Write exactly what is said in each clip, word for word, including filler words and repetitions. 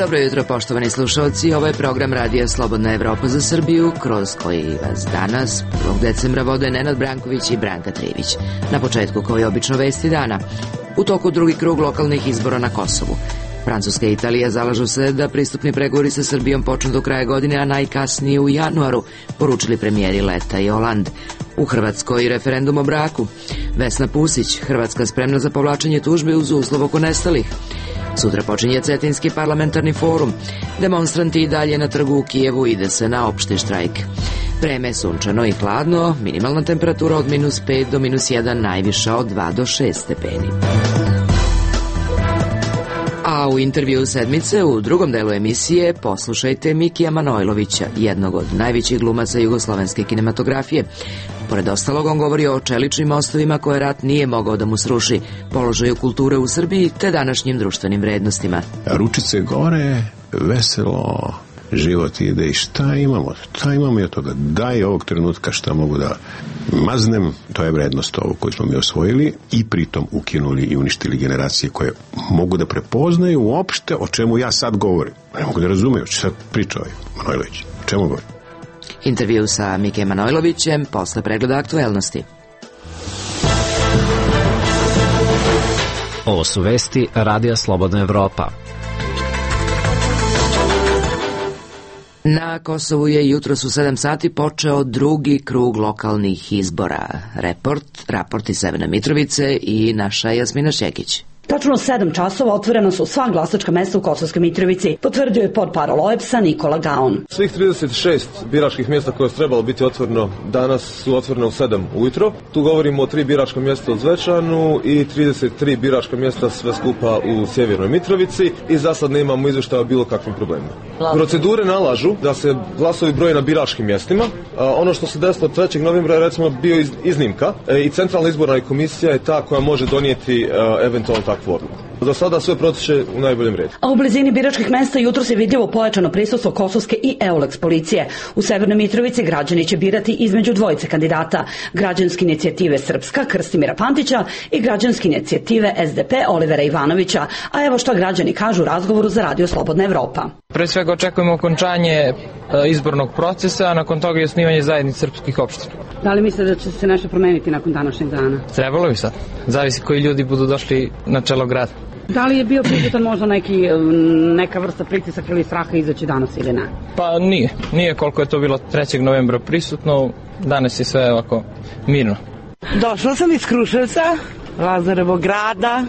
Dobro jutro, poštovani slušalci. Ovo je program Radija Slobodna Evropa za Srbiju, kroz koji vas danas, prvog decembra, vode Nenad Branković i Branka Trivić. Na početku, kao i obično, vesti dana. U toku drugi krug lokalnih izbora na Kosovu. Francuska i Italija zalažu se da pristupni pregovori sa Srbijom počnu do kraja godine, a najkasnije u januaru, poručili premijeri Letta i Hollande. U Hrvatskoj referendum o braku. Vesna Pusić, Hrvatska spremna za povlačenje tužbe uz uslov oko nestalih. Sutra počinje Cetinski parlamentarni forum. Demonstranti i dalje na trgu u Kijevu, ide se na opšti štrajk. Vreme je sunčano i hladno, minimalna temperatura od minus pet do minus jedan, najviša od dva do šest stepeni. A u intervju sedmice, u drugom delu emisije, poslušajte Mikija Manojlovića, jednog od najvećih glumaca jugoslovenske kinematografije. Pored ostalog, on govori o čeličnim mostovima koje rat nije mogao da mu sruši, položaju kulture u Srbiji te današnjim društvenim vrednostima. Ručice gore, veselo, život ide i šta imamo? Šta imamo i od toga? Daj ovog trenutka šta mogu da maznem, to je vrednost ovo koju smo mi osvojili i pritom ukinuli i uništili generacije koje mogu da prepoznaju uopšte o čemu ja sad govorim. Ne mogu da razumeju, što sad priča ovaj Manojlović. O čemu govorim? Intervju sa Mikem Manojlovićem posle pregleda aktuelnosti. Ovo su vesti Radija Slobodna Evropa. Na Kosovu je jutros u sedam sati počeo drugi krug lokalnih izbora. Report, raport iz Severne Mitrovice i naša Jasmina Šekić. Tačno sedam časova otvorena su sva glasačka mesta u Kosovskoj Mitrovici, potvrdio je portparol O E B S-a Nikola Gaon. Svih trideset šest biračkih mjesta koje je trebalo biti otvoreno danas su otvorene u sedam ujutro. Tu govorimo o tri biračka mjesta u Zvečanu i trideset tri biračka mjesta sve skupa u Sjevernoj Mitrovici i za sad nemamo izvještaja o bilo kakvim problemima. Procedure nalažu da se glasovi broje na biračkim mjestima. Ono što se desilo trećeg novembra je recimo bio iznimka i Centralna izborna komisija je ta koja može donijeti eventualno takvu odluku. Do sada sve protiče u najboljem redu. A u blizini biračkih mesta jutro se vidljivo pojačano prisustvo kosovske i EULEX policije. U Severnoj Mitrovici građani će birati između dvojice kandidata, građanske inicijative Srpska Krstimira Pantića i građanske inicijative S D P Olivera Ivanovića. A evo što građani kažu u razgovoru za Radio Slobodna Evropa. Pre svega očekujemo okončanje izbornog procesa, a nakon toga i osnivanje zajednice srpskih opština. Da li mislite da će se nešto promeniti nakon današnjeg dana? Trebalo bi sad. Zavisi koji ljudi budu došli na čelo grada. Da li je bio prisutan možda neki, neka vrsta pritisaka ili straha izaći danas ili ne? Pa nije. Nije koliko je to bilo trećeg novembra prisutno. Danas je sve ovako mirno. Došla sam iz Kruševca, Lazarevog grada,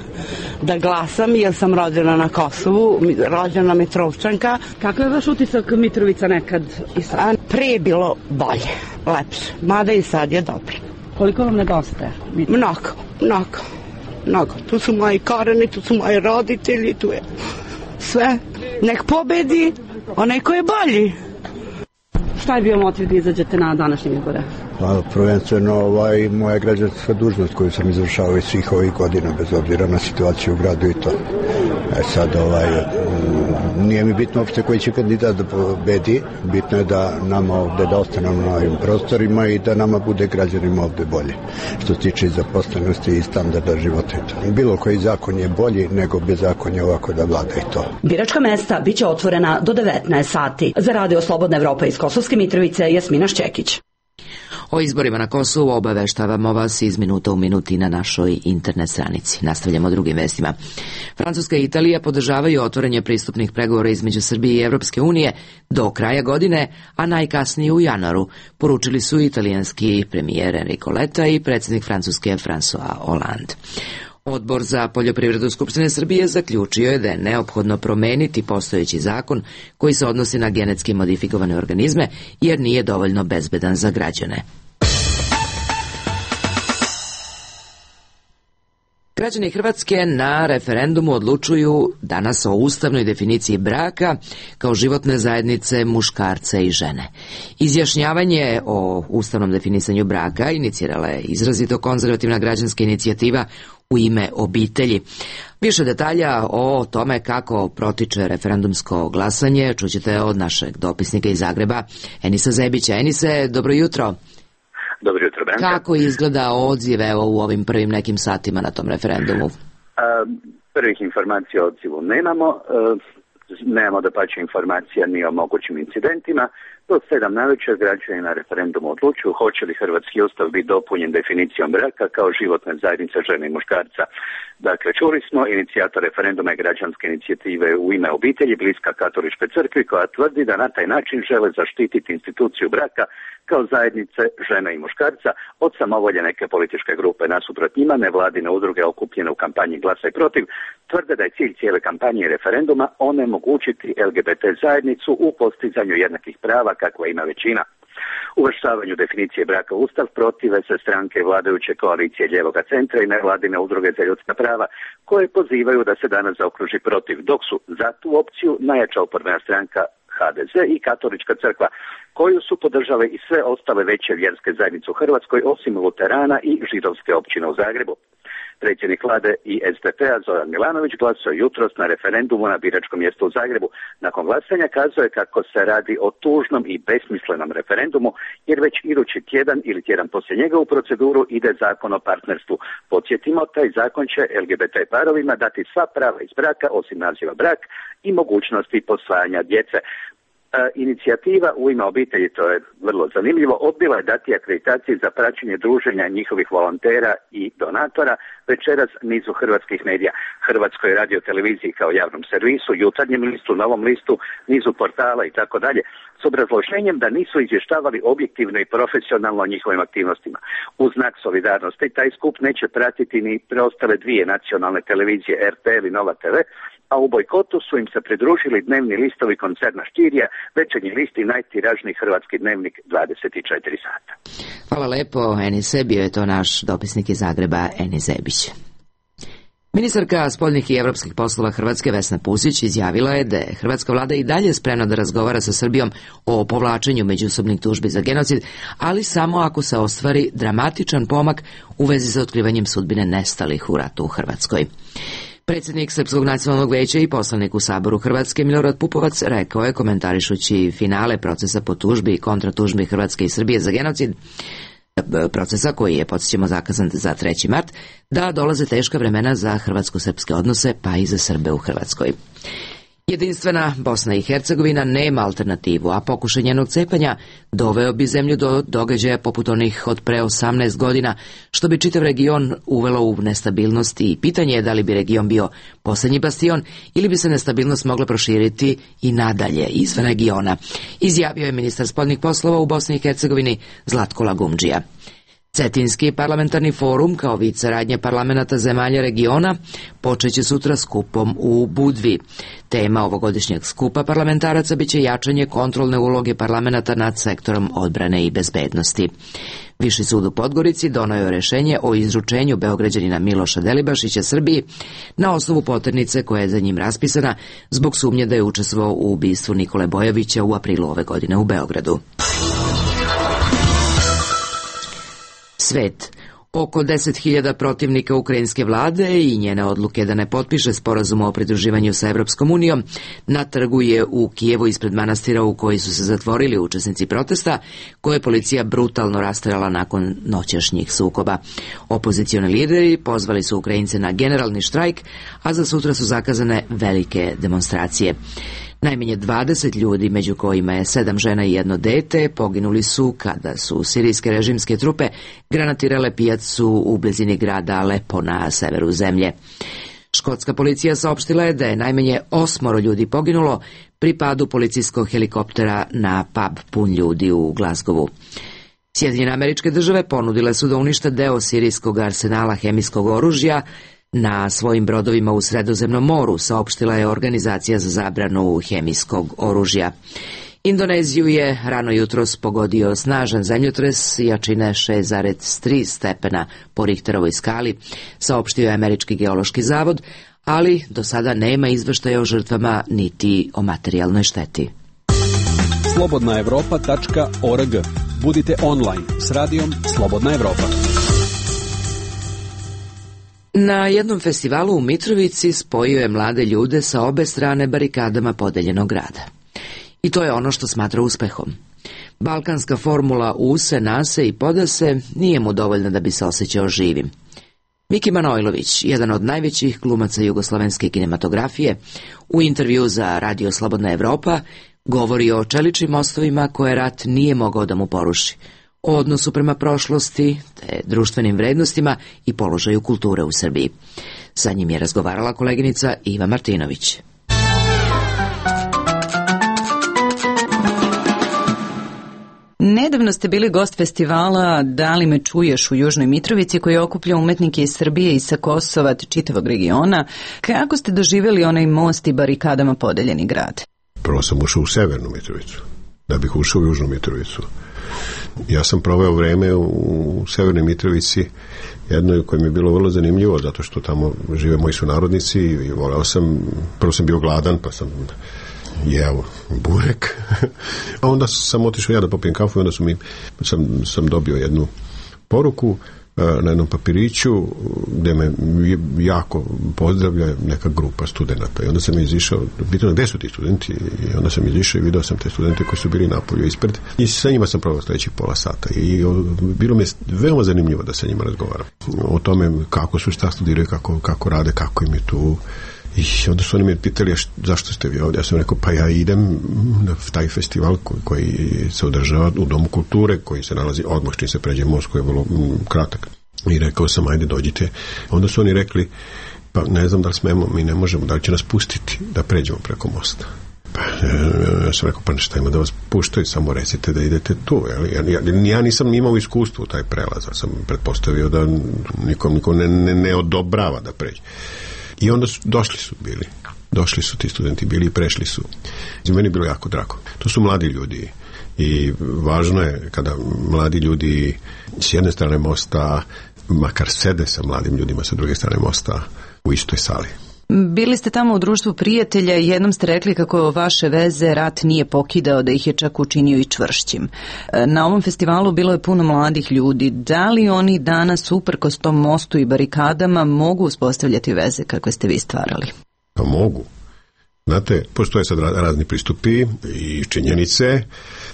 da glasam jer sam rođena na Kosovu, rođena Mitrovčanka. Kakav je vaš utisak Mitrovica nekad i sad? Pre je bilo bolje, lepše, mada i sad je dobro. Koliko vam nedostaje? Mnogo, mnogo, mnogo. Tu su moji koreni, tu su moji roditelji, tu je sve. Nek pobedi onaj ko je bolji. Šta je bio motiv da izađete na današnje izbore? Pa, prvenstveno ovaj, moja građanska dužnost koju sam izvršavao i svih ovih godina, bez obzira na situaciju u gradu i to. E sad, ovaj, nije mi bitno uopšte koji će kandidat da pobedi, bitno je da nama ovde, da ostanemo na ovim prostorima i da nama bude građanima ovde bolje. Što se tiče zaposlenosti i standarda života i to. Bilo koji zakon je bolji nego bez zakonja ovako da vlada i to. Biračka mesta biće otvorena do devetnaest sati. Za Radio Slobodna Evropa iz Kosovske Mitrovice, Jasmina Šćekić. O izborima na Kosovu obaveštavamo vas iz minuta u minuti na našoj internet stranici. Nastavljamo drugim vestima. Francuska i Italija podržavaju otvaranje pristupnih pregovora između Srbije i Evropske unije do kraja godine, a najkasnije u januaru, poručili su italijanski premijer Enrico Letta i predsjednik Francuske François Hollande. Odbor za poljoprivredu Skupštine Srbije zaključio je da je neophodno promeniti postojeći zakon koji se odnosi na genetski modifikovane organizme jer nije dovoljno bezbedan za građane. Građani Hrvatske na referendumu odlučuju danas o ustavnoj definiciji braka kao životne zajednice muškarca i žene. Izjašnjavanje o ustavnom definisanju braka inicirala je izrazito konzervativna građanska inicijativa U ime obitelji. Više detalja o tome kako protiče referendumsko glasanje čućete od našeg dopisnika iz Zagreba, Enisa Zebića. Enise, dobro jutro. Dobro jutro, Branka. Kako izgleda odziv evo u ovim prvim nekim satima na tom referendumu? A, prvih informacija o odzivu nemamo. A, Nemamo da pače informacija ni o mogućim incidentima. Do sedam navečer građani na referendumu odlučuju hoće li hrvatski ustav biti dopunjen definicijom braka kao životne zajednice žene i muškarca. Dakle, čuli smo, inicijator referenduma je građanske inicijative U ime obitelji bliska katoličkoj crkvi koja tvrdi da na taj način žele zaštititi instituciju braka kao zajednice žene i muškarca od samovolje neke političke grupe. Nasuprot njima nevladine udruge okupljene u kampanji Glasaj protiv tvrde da je cilj cijele kampanje i referenduma onemogućiti L G B T zajednicu u postizanju jednakih prava kakva ima većina. Uvrštavanju definicije braka u Ustav protive se stranke vladajuće koalicije Ljevoga centra i nevladine udruge za ljudska prava koje pozivaju da se danas zaokruži protiv, dok su za tu opciju najjača oporbena stranka H D Z i katolička crkva, koju su podržale i sve ostale veće vjerske zajednice u Hrvatskoj osim luterana i židovske općine u Zagrebu. Predsjednik vlade i S D P-a Zoran Milanović glasao jutros na referendumu na biračkom mjestu u Zagrebu. Nakon glasanja kazuje kako se radi o tužnom i besmislenom referendumu, jer već idući tjedan ili tjedan poslije njega u proceduru ide zakon o partnerstvu. Podsjetimo, taj zakon će L G B T parovima dati sva prava iz braka osim naziva brak i mogućnosti posvajanja djece. E, inicijativa U ime obitelji, to je vrlo zanimljivo, odbila je dati akreditaciji za praćenje druženja njihovih volontera i donatora večeras nizu hrvatskih medija, Hrvatskoj radioteleviziji kao javnom servisu, Jutarnjem listu, Novom listu, nizu portala i tako dalje, s obrazloženjem da nisu izvještavali objektivno i profesionalno o njihovim aktivnostima. U znak solidarnosti taj skup neće pratiti ni preostale dvije nacionalne televizije R T L i Nova T V, a u bojkotu su im se pridružili dnevni listovi koncerna Štirija, Večernji list i najtiražniji hrvatski dnevnik dvadeset četiri sata. Hvala lepo, Enise, bio je to naš dopisnik iz Zagreba, Enis Zebić. Ministarka spoljnih i evropskih poslova Hrvatske Vesna Pusić izjavila je da je hrvatska vlada i dalje spremna da razgovara sa Srbijom o povlačenju međusobnih tužbi za genocid, ali samo ako se ostvari dramatičan pomak u vezi sa otkrivanjem sudbine nestalih u ratu u Hrvatskoj. Predsjednik Srpskog nacionalnog veća i poslanik u Saboru Hrvatske Milorad Pupovac rekao je, komentarišući finale procesa po tužbi i kontratužbi Hrvatske i Srbije za genocid, procesa koji je, podsjećamo, zakazan za treći mart, da dolaze teška vremena za hrvatsko-srpske odnose, pa i za Srbe u Hrvatskoj. Jedinstvena Bosna i Hercegovina nema alternativu, a pokušaj njenog cepanja doveo bi zemlju do događaja poput onih od pre osamnaest godina, što bi čitav region uvelo u nestabilnost i pitanje je da li bi region bio posljednji bastion ili bi se nestabilnost mogla proširiti i nadalje izvan regiona, izjavio je ministar spoljnih poslova u Bosni i Hercegovini Zlatko Lagumdžija. Cetinski parlamentarni forum kao vid saradnje parlamenata zemalja regiona počeće sutra skupom u Budvi. Tema ovogodišnjeg skupa parlamentaraca biće jačanje kontrolne uloge parlamenta nad sektorom odbrane i bezbednosti. Viši sud u Podgorici donio je rješenje o izručenju Beograđanina Miloša Delibašića Srbiji na osnovu poternice koja je za njim raspisana zbog sumnje da je učestvovao u ubistvu Nikole Bojovića u aprilu ove godine u Beogradu. Svet. Oko deset hiljada protivnika ukrajinske vlade i njene odluke da ne potpiše sporazum o pridruživanju sa Evropskom unijom na trgu je u Kijevu ispred manastira u koji su se zatvorili učesnici protesta, koje je policija brutalno rasterala nakon noćašnjih sukoba. Opozicioni lideri pozvali su Ukrajince na generalni štrajk, a za sutra su zakazane velike demonstracije. Najmanje dvadeset ljudi, među kojima je sedam žena i jedno dete, poginuli su kada su sirijske režimske trupe granatirale pijacu u blizini grada Alepo na severu zemlje. Škotska policija saopštila je da je najmanje osmoro ljudi poginulo pri padu policijskog helikoptera na pub pun ljudi u Glasgowu. Sjedinjene Američke Države ponudile su da unište deo sirijskog arsenala hemijskog oružja na svojim brodovima u Sredozemnom moru, saopštila je Organizacija za zabranu hemijskog oružja. Indoneziju je rano jutros pogodio snažan zemljotres jačine šest zarez tri stepena po Richterovoj skali, saopštio je Američki geološki zavod, ali do sada nema izveštaja o žrtvama niti o materijalnoj šteti. slobodna evropa tačka org. Budite online s radijom Slobodna Evropa. Na jednom festivalu u Mitrovici spojio je mlade ljude sa obe strane barikadama podeljenog grada. I to je ono što smatra uspehom. Balkanska formula use, nase i podase nije mu dovoljna da bi se osjećao živim. Miki Manojlović, jedan od najvećih glumaca jugoslovenske kinematografije, u intervju za Radio Slobodna Evropa govori o čeličnim mostovima koje rat nije mogao da mu poruši, o odnosu prema prošlosti, te društvenim vrednostima i položaju kulture u Srbiji. Sa njim je razgovarala koleginica Iva Martinović. Nedavno ste bili gost festivala Da li me čuješ u Južnoj Mitrovici, koji okuplja umetnike iz Srbije i sa Kosova te čitavog regiona. Kako ste doživjeli onaj most i barikadama podeljeni grad? Prvo sam ušao u Severnu Mitrovicu, da bih ušao u Južnu Mitrovicu. Ja sam proveo vreme u Severnoj Mitrovici, jedno koje mi je bilo vrlo zanimljivo, zato što tamo žive moji sunarodnici i voleo sam, prvo sam bio gladan, pa sam jeo burek, a onda sam otišao ja da popijem kafu i onda su mi, sam, sam dobio jednu poruku na jednom papiriću gde me jako pozdravlja neka grupa studenta i onda sam izišao, pitao gde su ti studenti i onda sam izišao i video sam te studente koji su bili napolju ispred i sa njima sam proveo sledećih pola sata i bilo mi je veoma zanimljivo da sa njima razgovaram o tome kako su, šta studiraju, kako, kako rade, kako im je tu. I onda su oni me pitali zašto ste vi ovdje. Ja sam rekao pa ja idem na taj festival koji, koji se održava u Domu kulture, koji se nalazi odmah čim se pređe most, koji je vrlo m, kratak. I rekao sam ajde dođite. Onda su oni rekli pa ne znam da li smemo, mi ne možemo, da li će nas pustiti da pređemo preko mosta. Pa, ja sam rekao pa nešto ima da vas puštaju, samo recite da idete tu. Ja, ja, ja nisam imao iskustvo u taj prelaz, ali sam pretpostavio da nikom, nikom ne, ne, ne odobrava da pređe. I onda su, došli su bili, došli su ti studenti bili i prešli su. I meni je bilo jako drago. To su mladi ljudi i važno je kada mladi ljudi s jedne strane mosta, makar sede sa mladim ljudima sa druge strane mosta u istoj sali. Bili ste tamo u društvu prijatelja i jednom ste rekli kako vaše veze rat nije pokidao, da ih je čak učinio i čvršćim. Na ovom festivalu bilo je puno mladih ljudi. Da li oni danas, uprkos tom mostu i barikadama, mogu uspostavljati veze kakve ste vi stvarali? Pa mogu. Znate, postoje sad razni pristupi i činjenice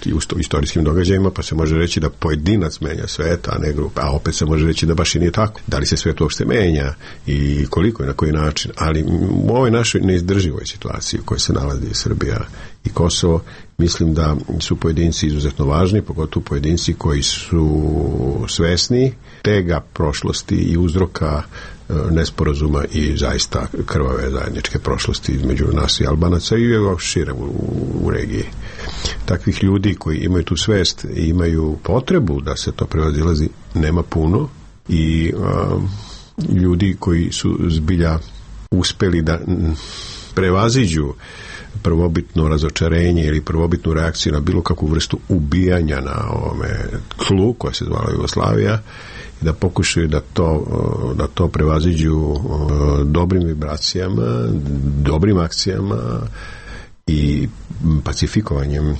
i u istorijskim događajima, pa se može reći da pojedinac menja svet, a ne grupa, a opet se može reći da baš i nije tako. Da li se svet uopšte menja i koliko i na koji način, ali u ovoj našoj neizdrživoj situaciji u kojoj se nalazi Srbija i Kosovo, mislim da su pojedinci izuzetno važni, pogotovo pojedinci koji su svesni tega prošlosti i uzroka nesporazuma i zaista krvave zajedničke prošlosti između nas i Albanaca i šire u, u regiji. Takvih ljudi koji imaju tu svest i imaju potrebu da se to prevazilazi nema puno i a, ljudi koji su zbilja uspeli da prevaziđu prvobitno razočarenje ili prvobitnu reakciju na bilo kakvu vrstu ubijanja na ovome tlu koja se zvala Jugoslavija i da pokušaju da to, da to prevaziđu dobrim vibracijama, dobrim akcijama i pacifikovanjem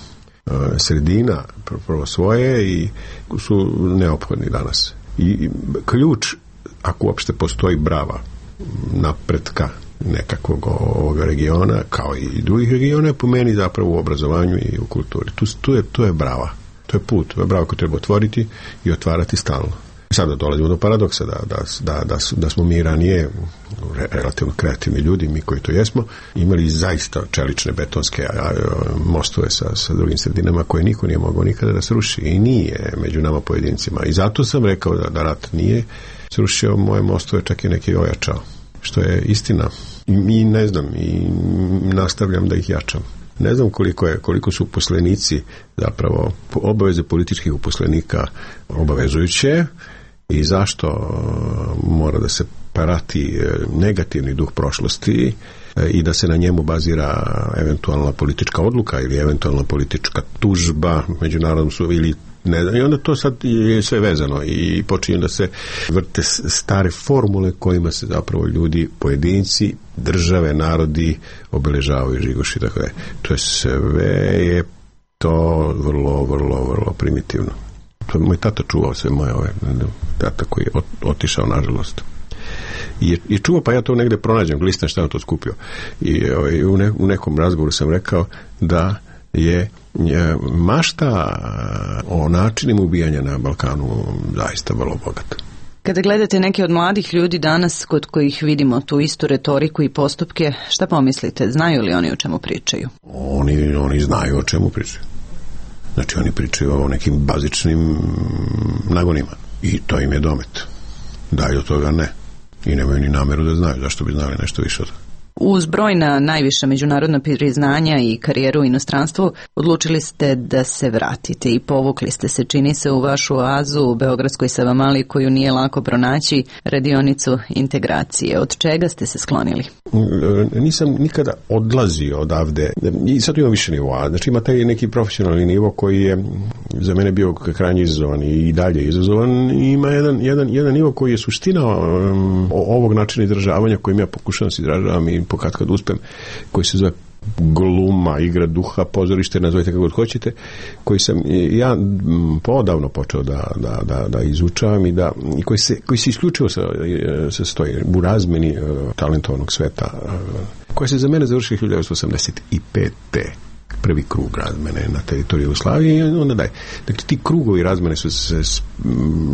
sredina prvo svoje i su neophodni danas. I ključ, ako uopšte postoji brava napretka nekakvog ovoga regiona, kao i drugih regiona, po meni zapravo u obrazovanju i u kulturi. Tu, tu, je, tu je brava. To je put. To je brava koju treba otvoriti i otvarati stalno. Sada dolazimo do paradoksa da, da, da, da, da smo mi ranije relativno kreativni ljudi, mi koji to jesmo, imali zaista čelične betonske mostove sa, sa drugim sredinama koje niko nije mogao nikada da sruši i nije među nama pojedincima. I zato sam rekao da, da rat nije srušio moje mostove, čak i neki ojačao. Što je istina. I ne znam, i nastavljam da ih jačam. Ne znam koliko je, koliko su uposlenici zapravo obaveze političkih uposlenika obavezujuće i zašto mora da se prati negativni duh prošlosti i da se na njemu bazira eventualna politička odluka ili eventualna politička tužba međunarodnom sudu ili ne znam, i onda to sad je sve vezano i počinju da se vrte stare formule kojima se zapravo ljudi, pojedinci, države, narodi obeležavaju žigoši, tako da to je sve je to vrlo, vrlo, vrlo primitivno. To je moj tata čuvao sve moje ove, tata koji je otišao nažalost. I, i čuo, pa ja to negde pronađem, glistam šta je to skupio. I ovaj, u, ne, u nekom razgovoru sam rekao da je mašta o načinima ubijanja na Balkanu zaista vrlo bogata. Kada gledate neke od mladih ljudi danas kod kojih vidimo tu istu retoriku i postupke, šta pomislite? Znaju li oni o čemu pričaju? Oni, oni znaju o čemu pričaju. Znači oni pričaju o nekim bazičnim nagonima i to im je domet. Dalje od toga ne. I nemaju ni nameru da znaju, zašto bi znali nešto više od toga. Uz brojna najviša međunarodna priznanja i karijeru u inostranstvu, odlučili ste da se vratite i povukli ste se, čini se, u vašu oazu u Beogradskoj Savamali, koju nije lako pronaći, radionicu integracije. Od čega ste se sklonili? Nisam nikada odlazio odavde i sad imam više nivoa. Znači ima taj neki profesionalni nivo koji je za mene bio krajnje izazovan i dalje izazovan. I ima jedan, jedan, jedan nivo koji je suština um, ovog načina izražavanja kojim ja pokušavam se izražavam i pokad kad uspem, koji se zove gluma, igra duha, pozorište, nazovite kako god hoćete, koji sam ja podavno počeo da, da, da, da izučavam i da, i koji se, koji se isključivo sa, sa stoji u razmeni uh, talentovnog sveta, uh, koja se za mene završila hiljadu devetsto osamdeset pete prvi krug razmene na teritoriji Jugoslavije i onda daj. Dakle, ti krugovi razmene su se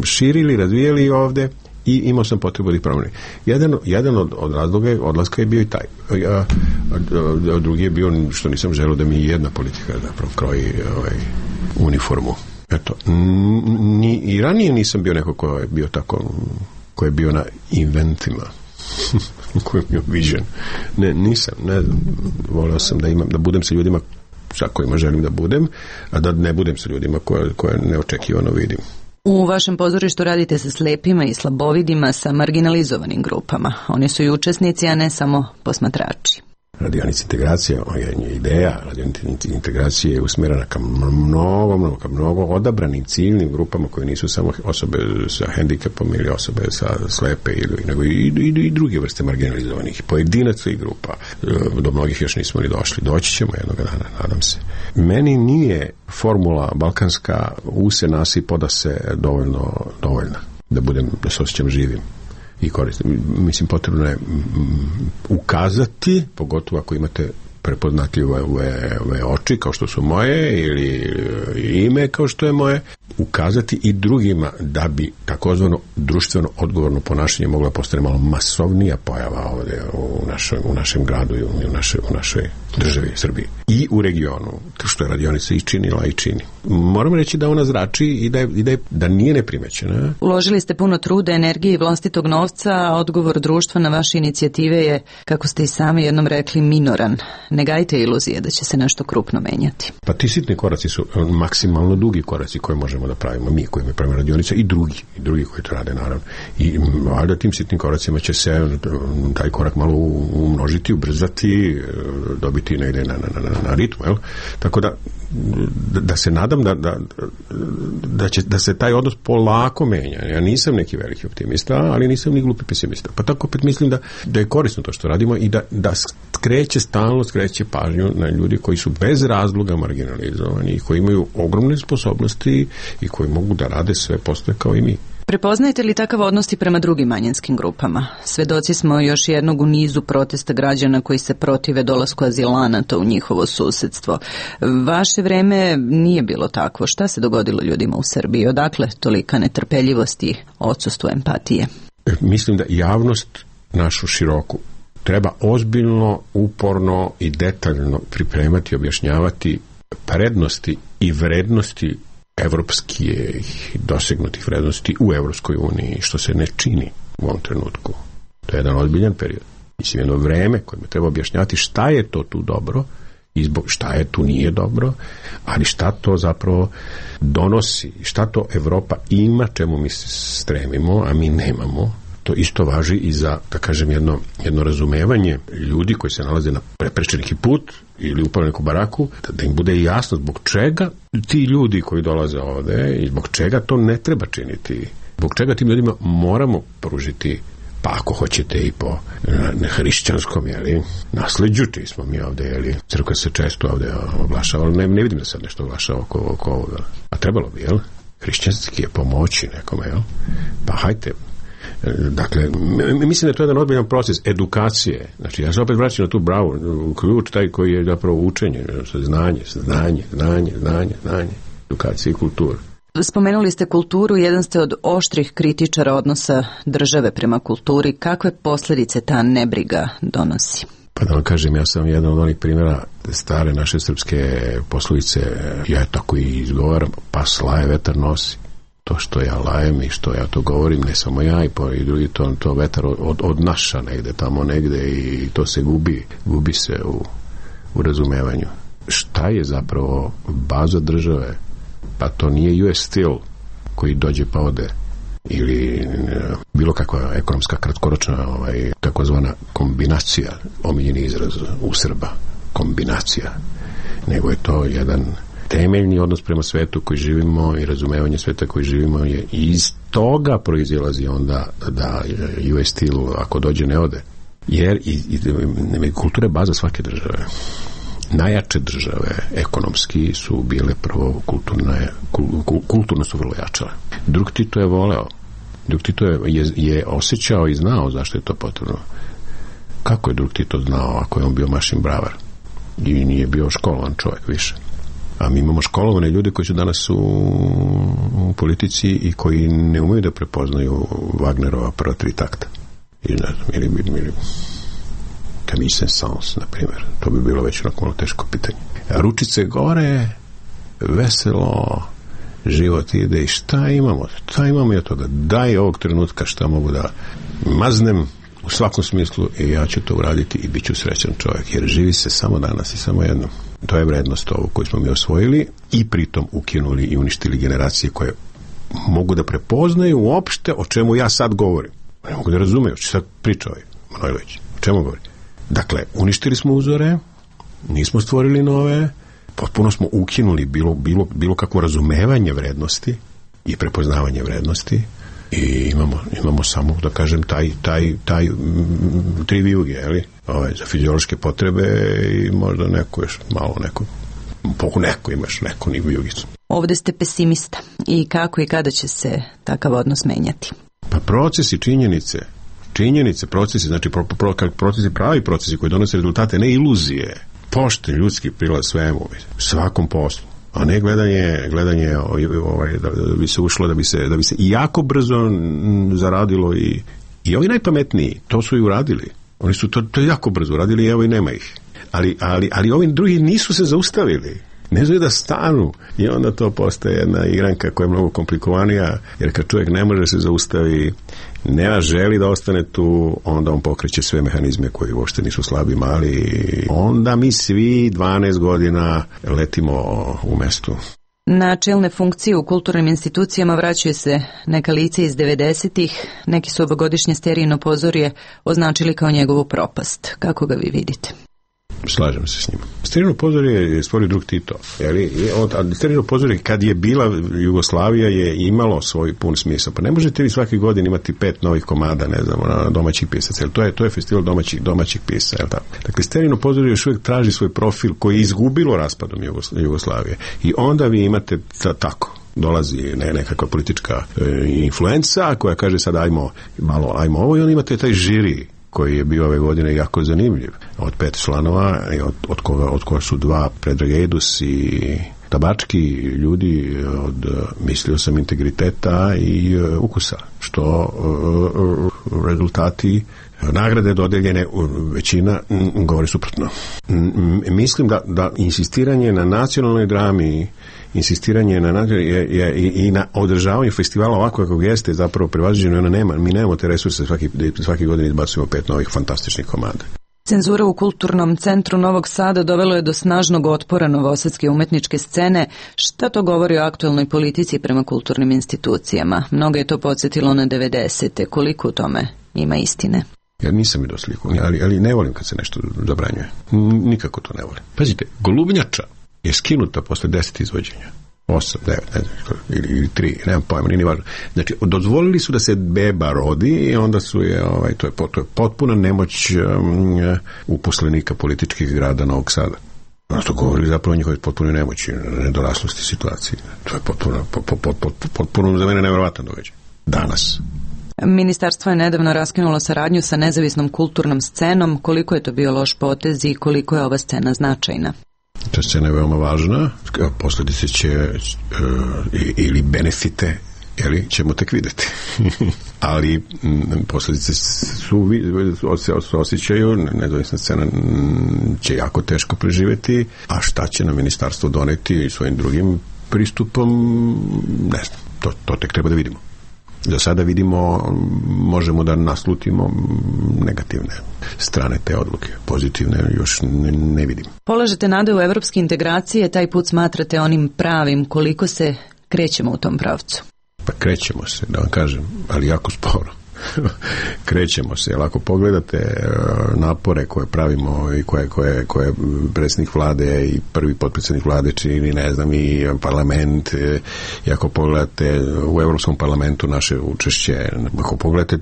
širili, razvijeli ovde i imao sam potrebu da ih promenim. Jedan, jedan od, od razloga odlaska je bio i taj. A, a, a drugi je bio što nisam želeo da mi jedna politika zapravo kroji ovaj, uniformu. Eto, ni, i ranije nisam bio neko ko je bio tako, ko je bio na inventima. Ko je bio viđen. Ne, nisam, ne znam. Voleo sam da imam, da budem sa ljudima sa kojima želim da budem, a da ne budem sa ljudima koje, koje neočekivano vidim. U vašem pozorištu radite sa slepima i slabovidima, sa marginalizovanim grupama. Oni su i učesnici, a ne samo posmatrači. Radionica integracije je ideja, radionica integracije je usmjerena ka mnogo, mnogo, ka mnogo odabranim ciljnim grupama koje nisu samo osobe sa hendikepom ili osobe sa slepe ili, nego i, i, i druge vrste marginalizovanih, pojedinaca i grupa. Do mnogih još nismo ni došli. Doći ćemo jednog dana, nadam se. Meni nije formula balkanska use nasi poda se dovoljno, dovoljna da budem, da se osjećam živim i koristim. Mislim, potrebno je ukazati, pogotovo ako imate prepoznatljive ove, ove oči kao što su moje ili ime kao što je moje, ukazati i drugima da bi takozvano društveno odgovorno ponašanje mogla postati malo masovnija pojava ovdje u, našoj, u našem gradu i u, naše, u našoj državi Srbiji i u regionu, što je radionica i činila i čini. Moram reći da ona zrači i da, je, i da, je, da nije neprimećena. Uložili ste puno truda, energije i vlastitog novca, a odgovor društva na vaše inicijative je, kako ste i sami jednom rekli, minoran. Ne gajte iluzije da će se nešto krupno menjati. Pa ti sitni koraci su maksimalno dugi koraci koje možemo da pravimo mi koji mi pravimo radionica i drugi, i drugi koji to rade naravno. I valjda tim sitnim koracima će se taj korak malo umnožiti, ubrzati, dobiti negde na, na, na, na ritmu, jel? Tako da, da, da se nadam da, da, da, će, da se taj odnos polako menja. Ja nisam neki veliki optimista, ali nisam ni glupi pesimista. Pa tako opet mislim da, da je korisno to što radimo i da, da skreće, stalno skreće pažnju na ljudi koji su bez razloga marginalizovani i koji imaju ogromne sposobnosti i koji mogu da rade sve postoje kao i mi. Prepoznajete li takav odnos i prema drugim manjinskim grupama? Svedoci smo još jednog u nizu protesta građana koji se protive dolasku azilanata u njihovo susedstvo. Vaše vreme nije bilo takvo. Šta se dogodilo ljudima u Srbiji? Odakle tolika netrpeljivost i odsustvo empatije? Mislim da javnost našu široku treba ozbiljno, uporno i detaljno pripremati, objašnjavati prednosti i vrednosti evropskih dosegnutih vrednosti u Evropskoj uniji, što se ne čini u ovom trenutku. To je jedan ozbiljan period. Mislim, jedno vreme kojima treba objašnjavati šta je to tu dobro i zbog šta je tu nije dobro, ali šta to zapravo donosi, šta to Evropa ima, čemu mi stremimo, a mi nemamo. To isto važi i za, da kažem, jedno, jedno razumevanje ljudi koji se nalaze na preprečen neki put ili upali neku baraku, da, da im bude jasno zbog čega ti ljudi koji dolaze ovde i zbog čega to ne treba činiti. Zbog čega tim ljudima moramo pružiti, pa ako hoćete i po hrišćanskom, jeli, nasleđu, čiji smo mi ovde, jeli, crkva se često ovde oglašava, ali ne, ne vidim da sad nešto oglašava oko, oko ovoga. A trebalo bi, jel? Hrišćanski je pomoći nekome, jel? Pa hajte. Dakle, mislim da je to jedan odbiljan proces edukacije. Znači, ja se opet vraćam na tu bravu, ključ taj koji je zapravo učenje, znanje, znanje, znanje, znanje, znanje, edukacija i kultura. Spomenuli ste kulturu, jedan ste od oštrih kritičara odnosa države prema kulturi. Kakve posljedice ta nebriga donosi? Pa da vam kažem, ja sam jedan od onih primjera stare naše srpske poslovice, ja je tako i izgovaram, pa slaje vetar nosi. To što ja lajem i što ja to govorim, ne samo ja i, po, i drugi, to, to vetar od, od naša negde, tamo negde i to se gubi, gubi se u, u razumevanju. Šta je zapravo baza države? Pa to nije U S Steel koji dođe pa ode, ili bilo kakva ekonomska kratkoročna ovaj, takozvana kombinacija, omiljeni izraz u Srba, kombinacija, nego je to jedan temeljni odnos prema svetu koji živimo i razumevanje sveta koji živimo je, i iz toga proizilazi onda da U S Steel ako dođe ne ode, jer i, i, kultura je baza svake države. Najjače države ekonomski su bile prvo kulturne, kulturno su vrlo jačale. Drug Tito je voleo, drug Tito je, je, je osjećao i znao zašto je to potrebno. Kako je drug Tito znao ako je on bio mašin bravar i nije bio školovan čovjek više? A mi imamo školovane ljude koji su danas u, u politici i koji ne umeju da prepoznaju Wagnerova prva tri takta. I ne znam, ili, ili Camille Saint-Saëns, na primjer. To bi bilo već onako malo teško pitanje. A ručice gore, veselo, život ide i šta imamo? Šta imamo i od toga? Daj ovog trenutka šta mogu da maznem u svakom smislu i ja ću to uraditi i bit ću srećan čovjek, jer živi se samo danas i samo jednom. To je vrednost ovu koju smo mi osvojili i pritom ukinuli i uništili generacije koje mogu da prepoznaju uopšte o čemu ja sad govorim. Ne mogu da razumeju, što sad priča ovaj Manojlović. O čemu govori? Dakle, uništili smo uzore, nismo stvorili nove, potpuno smo ukinuli bilo, bilo, bilo kakvo razumevanje vrednosti i prepoznavanje vrednosti i imamo, imamo samo, da kažem, taj, taj, taj m, tri vijuge, jeli? Ove, za fiziološke potrebe i možda neko još malo neko, poku neko imaš, neko ni vijugicu. Ovde ste pesimista i kako i kada će se takav odnos menjati? Pa procesi, činjenice, činjenice, procesi, znači pro, pro, procesi, pravi procesi koji donose rezultate, ne iluzije, pošten ljudski prilaz svemu, svakom poslu, a ne gledanje, gledanje ovaj, da, da bi se ušlo, da bi se, da bi se jako brzo zaradilo i, i ovi najpametniji, to su i uradili. Oni su to, to jako brzo uradili i evo i nema ih. Ali, ali, ali ovi drugi nisu se zaustavili. Ne znaju da stanu i onda to postaje jedna igranka koja je mnogo komplikovanija, jer kad čovjek ne može se zaustavi, ne želi da ostane tu, onda on pokreće sve mehanizme koji uopšte nisu slabi, mali, onda mi svi dvanaest godina letimo u mestu. Na čelne funkcije u kulturnim institucijama vraćaju se neka lica iz devedesetih, neki su ovogodišnje Sterijino pozorje označili kao njegovu propast. Kako ga vi vidite? Slažem se s njima. Sterijino pozorje je stvorio drug Tito. Sterijino pozorje kad je bila Jugoslavija je imalo svoj pun smisao. Pa ne možete vi svaki godin imati pet novih komada, ne znam, na domaćih pisaca. To je, to je festival domaćih, domaćih pisa. Jel tako? Dakle, Sterijino pozorje još uvijek traži svoj profil koji je izgubilo raspadom Jugoslavije. I onda vi imate ta, tako. Dolazi ne, nekakva politička e, influenca koja kaže sad ajmo malo, ajmo ovo i onda imate taj žiri koji je bio ove godine jako zanimljiv. Od pet članova, od, od, koga, od koga su dva Predrag Ejdus i Tabački ljudi od, mislio sam, integriteta i uh, ukusa, što uh, rezultati nagrade dodeljene, većina m, govori suprotno. M, mislim da, da insistiranje na nacionalnoj drami, insistiranje na je, je, i, i na održavanju festivala ovako kako jeste zapravo prevaziđeno, ona nema, mi nemamo te resurse, svaki, svaki godin izbacujemo pet novih fantastičnih komada. Cenzura u Kulturnom centru Novog Sada dovelo je do snažnog otpora novosadske umetničke scene. Šta to govori o aktuelnoj politici prema kulturnim institucijama? Mnogo je to podsjetilo na devedesete. Koliko u tome ima istine? Ja nisam vidio sliku, ali, ali ne volim kad se nešto zabranjuje. Nikako to ne volim. Pazite, Golubnjača je skinuta posle deset izvođenja. Osam, devet, ne znam, ili, ili tri, nemam pojma, nije ni važno. Znači, dozvolili su da se beba rodi i onda su je, ovaj, to je, to je potpuna nemoć um, uposlenika političkih grada Novog Sada. Ono što govorili zapravo o njihovoj potpunoj nemoći, nedoraslosti situacije. To je potpuno, pot, pot, pot, potpuno za mene nevjerovatan događaj. Danas. Ministarstvo je nedavno raskinulo saradnju sa nezavisnom kulturnom scenom. Koliko je to bio loš potez i koliko je ova scena značajna? Ta scena je veoma važna, posledice će ili benefite jeli, ćemo tek videti. Ali posledice su, su osjećaju, nezavisna scena će jako teško preživeti, a šta će na ministarstvo doneti svojim drugim pristupom, ne znam, to, to tek treba da vidimo. Do sada vidimo, možemo da naslutimo negativne strane te odluke. Pozitivne još ne, ne vidim. Polažete nade u evropske integracije, taj put smatrate onim pravim, koliko se krećemo u tom pravcu? Pa krećemo se, da vam kažem, ali jako sporo. Krećemo se, jer ako pogledate napore koje pravimo i koje, koje, koje predsjednik vlade i prvi potpredsjednik vlade čini, ne znam, i parlament, i ako pogledate u Evropskom parlamentu naše učešće, ako pogledate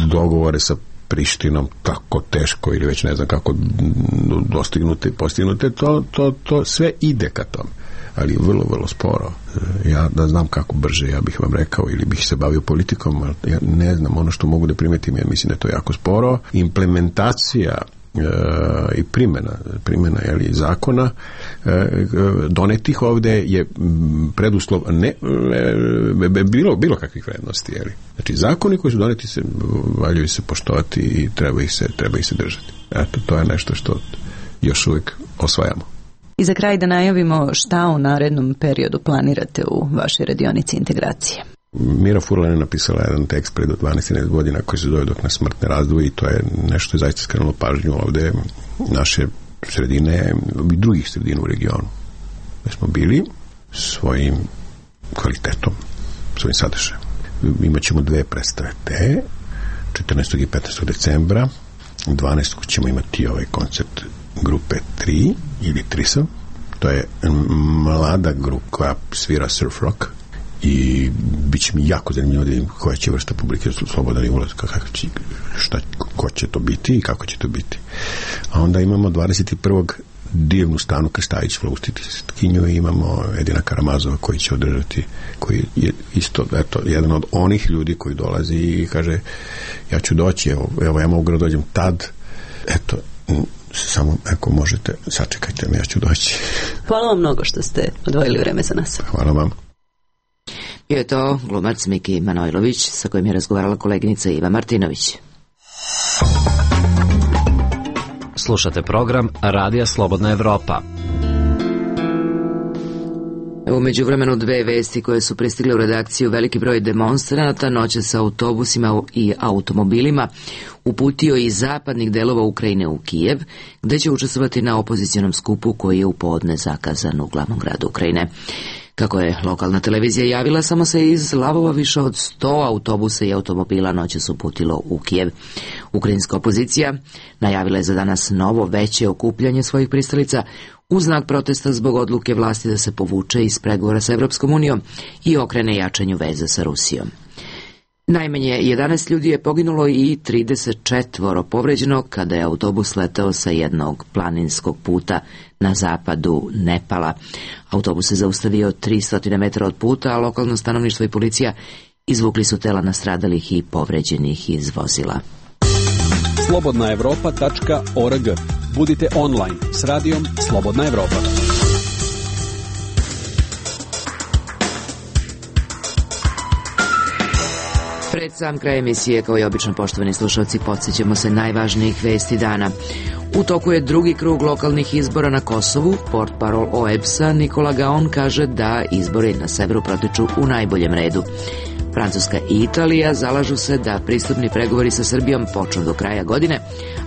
dogovore sa Prištinom, tako teško ili već ne znam kako dostignute i postignute, to, to, to sve ide ka tome, ali vrlo, vrlo sporo. Ja da znam kako brže, ja bih vam rekao, ili bih se bavio politikom, ali ja ne znam, ono što mogu da primetim, ja mislim da je to jako sporo. Implementacija e, i primjena, primjena jeli, zakona e, donetih ovde je preduslov ne, e, bilo, bilo kakvih vrednosti. Jeli. Znači, zakoni koji su doneti se, valjaju se poštovati i treba ih se, treba ih se držati. Eto, to je nešto što još uvijek osvajamo. I za kraj da najavimo šta u narednom periodu planirate u vašoj radionici integracije. Mira Furlan je napisala jedan tekst pred dvanaest godina koji se zove Dok nas smrt ne razdvoji, i to je nešto je zaista skrenulo pažnju ovde naše sredine i drugih sredina u regionu. Da smo bili svojim kvalitetom, svojim sadržajem. Imaćemo dve predstave te, četrnaestog i petnaestog decembra, dvanaestog ćemo imati ovaj koncert grupe tri ili Trisam. To je mlada grupa koja svira surf rock i bit će mi jako zanimljivo da vidim koja će vrsta publike slobodan i ulaz, kako će, šta, ko će to biti i kako će to biti. A onda imamo dvadeset prvog divnu Stanu Krstajić flautistkinju i imamo Edina Karamazova koji će održati, koji je isto eto, jedan od onih ljudi koji dolazi i kaže ja ću doći, evo, evo ja mogu da dođem tad, eto, samo ako možete, sačekajte me, ja ću doći. Hvala vam mnogo što ste odvojili vreme za nas. Hvala vam. Bio je to glumac Miki Manojlović sa kojim je razgovarala koleginica Iva Martinović. Slušate program Radija Slobodna Evropa. U međuvremenu dve vesti koje su pristigle u redakciju: veliki broj demonstranata noće sa autobusima i automobilima uputio iz zapadnih delova Ukrajine u Kijev, gde će učestvovati na opozicionom skupu koji je u podne zakazan u glavnom gradu Ukrajine. Kako je lokalna televizija javila, samo se iz Lavova više od sto autobusa i automobila noćas uputilo u Kijev. Ukrajinska opozicija najavila je za danas novo veće okupljanje svojih pristalica u znak protesta zbog odluke vlasti da se povuče iz pregovora sa Evropskom unijom i okrene jačanju veza sa Rusijom. Najmanje jedanaest ljudi je poginulo i trideset četvoro povređeno kada je autobus leteo sa jednog planinskog puta na zapadu Nepala. Autobus se zaustavio tristo metara od puta, a lokalno stanovništvo i policija izvukli su tela nastradalih i povređenih iz vozila. slobodna evropa tačka org. Budite online s radijom Slobodna Evropa. Pred sam kraj emisije, kao i obično, poštovani slušalci, podsjećamo se najvažnijih vesti dana. U toku je drugi krug lokalnih izbora na Kosovu. Portparol O E B S-a Nikola Gaon kaže da izbori na severu protiču u najboljem redu. Francuska i Italija zalažu se da pristupni pregovori sa Srbijom počnu do kraja godine,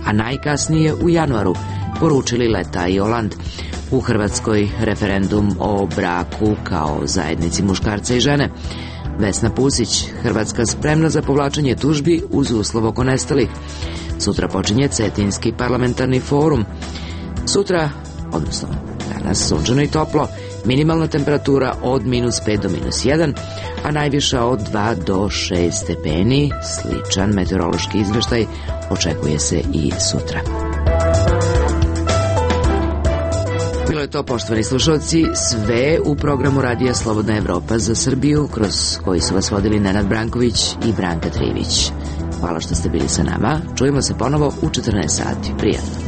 a najkasnije u januaru, poručili Leta i Oland. U Hrvatskoj referendum o braku kao zajednici muškarca i žene. Vesna Pusić, Hrvatska spremna za povlačenje tužbi uz uslov oko nestalih. Sutra počinje Cetinski parlamentarni forum. Sutra, odnosno danas, sunčano i toplo, minimalna temperatura od minus pet do minus jedan, a najviša od dva do šest stepeni. Sličan meteorološki izveštaj očekuje se i sutra. Bilo je to, poštovani slušalci, sve u programu Radija Slobodna Evropa za Srbiju, kroz koji su vas vodili Nenad Branković i Branka Trivić. Hvala što ste bili sa nama. Čujemo se ponovo u četrnaest sati. Prijatno.